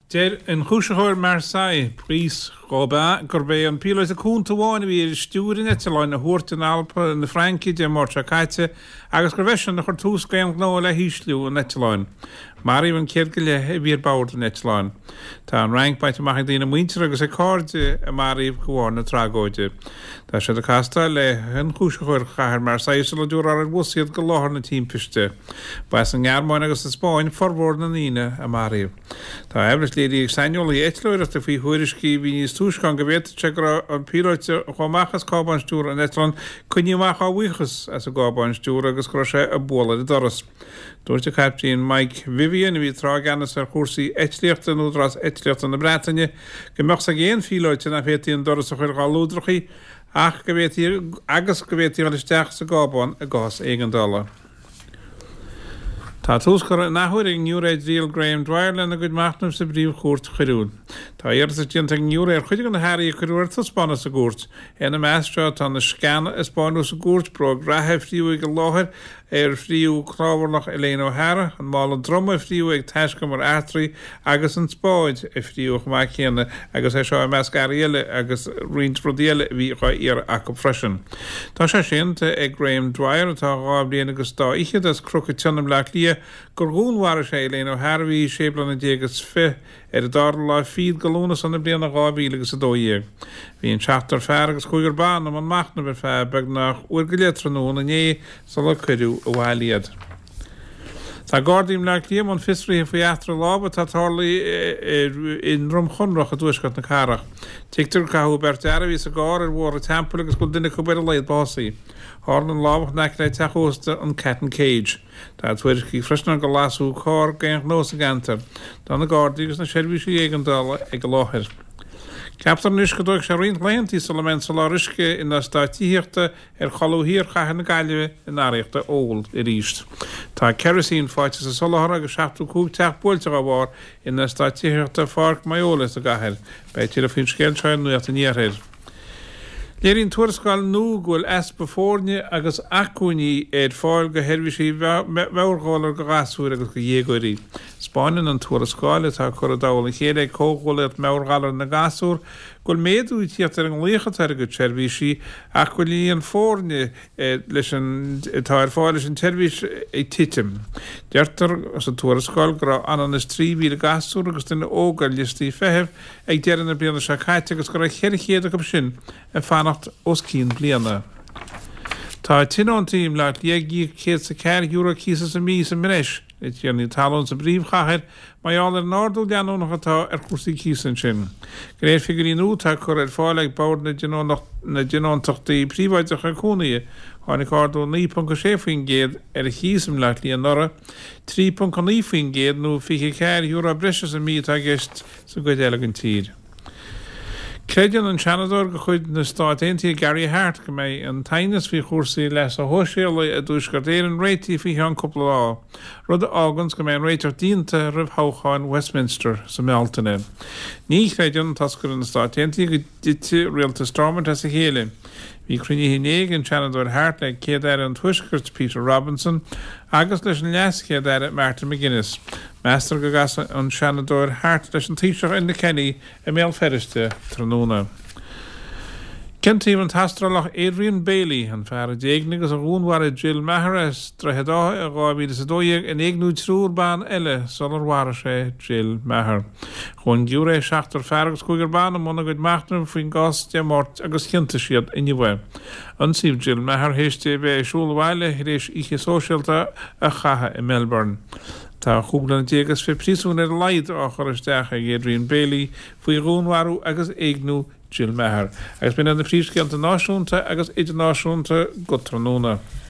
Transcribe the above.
Deir ionchúisitheoir Marseille, Brice Robin, gurb é an píolóta cúnta amháin a bhí ar stiúir an eitleáin a thuairt in Alpa na Fraince Dé Máirt seo caite agus gurbh eisean a chuir tús d'aon ghnó le hísliú an eitleáin. Maraíodh an céad go leith a bhí ar bord an eitleáin. Tá an Fhrainc bainte amach ag daoine muinteartha agus ag cairde a maraíodh de bharr na tragóide. Tá siad ag castáil le hionchúisitheoir chathair Marseille sula dtabharfar ar bhus iad go láthair na timpiste. Ba as an nGearmáin agus an Spáinn formhór na ndaoine a maraíodh. Tá aimhreas léirithe ag saineolaithe eitleoireachta faoi thuairiscí a bhí níos túisce ann go bhféadfadh sé go raibh an píolóta a chuaigh amach as cábán stiúrtha an eitleáin coinnithe amach á bhuíochas as an gcábán stiúrtha agus go raibh sé ag bualadh ar an doras. Dúirt an Caiptín Mike Vivian, a bhí tráth i gceannas ar chúrsaí eitlíochta in Údarás Eitlíochta na Breataine, go mbeadh 's ag aon phíolóta nach bhféadfaí an doras a chur dhá lúdrachaí ach go bhféadfaí agus go bhféadfaí a dhul isteach sa gcábán i gcás éigeandála. Tá tús curtha an athuair ag an ngiúiré i dtriail Graham Dwyer lena gcuid machnaimh sa bPríomh-Chúirt Choiriúil. Tá iarratas déanta ag an ngiúiré ar chuid de na hearraí a cuireadh ar taispeánadh sa gcúirt. Ina measc seo tá na sceana a spáineadh sa gcúirt, bróg reatha a fríodh ag an láthair ar fríodh cnámharlach Elaine O'Hara, an mála droma a fríodh ag taiscumar eachtraí agus an spáid a fríodh chomh maith céanna agus é seo i measc earraí eile agus roinnt rudaí eile a bhí dhá iarraidh acu freisin. Tá sé séanta ag Graham Dwyer, atá dhá bhliain agus dá fhichead, as Cnoc an tSionna i mBleá Cliath, gur dhúnmharaigh sé Elaine O'Hara a bhí sé bliana déag is fi ar an dara lá fichead de Lúnasa na bliana 2012. Bhí an seachtar fear agus cúigear ban i mbun machnaimh ar feadh beagnach uair go leith tráthnóna inné sular cuireadh abhaile iad. Tá Gardaí i mBleá Cliath i mbun fiosraithe faoi eachtra lámhaigh atá tarlaithe i nDroim Chonrach i dtuaisceart na cathrach. Tuigtear gur caitheadh beirt fhear a bhí sa gcarr ar Bhóthar an Teampaill agus go bhfuil duine acu ar a laghad básaithe. Tharla an lámhach in aice le teach ósta an Cat and Cage. Tá tuairiscí freisin ann gur lasadh carr d'aon ghnó sa gceantar. Tá na Gardaí agus na seirbhísí éigeandála ag an láthair. Ceaptar anois go dtógfaidh sé roinnt laethanta sula mbeidh an soláthar uisce in eastáit tithíochta ar cholbha thiar chathair na Gaillimhe in araíocht óil arís. Tá kerosene faighte sa soláthar agus 75 teach buailte dá bharr in eastát tithíochta Pháirc Moyola sa gcathair. Beidh tuilleadh faoin scéal seo ar Nuacht an Iarthair. Léiríonn tuarascáil nua go bhfuil easpa foirne agus acmhainní ar fáil do sheirbhísí meabhairghalar do ghasúir agus do dhéagóirí. 'Spáineann an tuarascáil, atá curtha i dtoll a chéile ag Comhghuaillíocht Meabhairghalair na nGasúr, go bhfuil méadú ag tíocht ar an nglaoch atá ar a gcuid seirbhísí ach go bhfuil líon foirne leis an atá ar fáil leis an tseirbhís ag titim. Deirtear sa tuarascáil go raibh ionann is 3,000 gasúr agus duine óg ar liostaí feithimh ag deireadh na bliana seo caite agus go raibh 400 acu sin ag fanacht os cionn bliana. Tá tionóntaí i mBleá Cliath ag íoc €104 cíosa sa mhí sa mbreis le tiarnaí talún sa bpríomhchathair mar gheall ar an ardú leanúnach atá ar chúrsaí cíosa ansin. De réir figiúirí nua atá curtha ar fáil ag Bord na dTionóntachtaí Príobháideacha Cónaithe, tháinig ardú 9.6% ar an chíos i mBleá Cliath anuraidh, 3.9% nó €24 breise sa mhí atá i gceist sa gcuid eile den tír. Creideann an Seanadóir de chuid na Stát Aontaithe Gary Hart go mbeidh an t-aighneas faoi chúrsaí leasa shóisialaigh i dTuaisceart Éireann réitithe faoi cheann cúpla lá, rud a fháganns go mbeidh an réiteach déanta roimh thoghcháin Westminster sa mBealtaine. Ní chreideann toscaire na Stát Aontaithe go dtitfidh rialtas Stormont as a chéile. Bhí cruinnithe inné ag an Seanadóir Hart le Céad-Aire an Tuaiscirt, Peter Robinson, agus leis an LeasChéad-Aire Martin McGuinness. Meastar go gcasfaidh an Seanadóir Hart leis an Taoiseach Enda Kenny i mBéal Feirste tráthnóna. Ciontaíodh an tAstrálach Adrian Bailey, an fear a d'éignigh agus a dhúnmharaigh Jill Meagher as Droichead Átha i 2012, in éigniú triúr ban eile sular mharaigh sé Jill Meagher. Chuaigh an giúiré, seachtar fear agus cúigear ban, i mbun a gcuid machnaimh faoin gcás Dé Máirt agus chiontaigh siad inniu é. Ionsaíodh Jill Meagher théis di a bheith ag siúl abhaile tar éis oíche sóisialta a chaitheamh i Melbourne. Tá chúig bliana déag is fiche príosúin ar a laghad á chur isteach ag Adrian Bailey faoi dhúnmharú agus éigniú Jill Meagher. Agus b'in iad na príomhscéalta náisiúnta agus idirnáisiúnta go tráthnóna.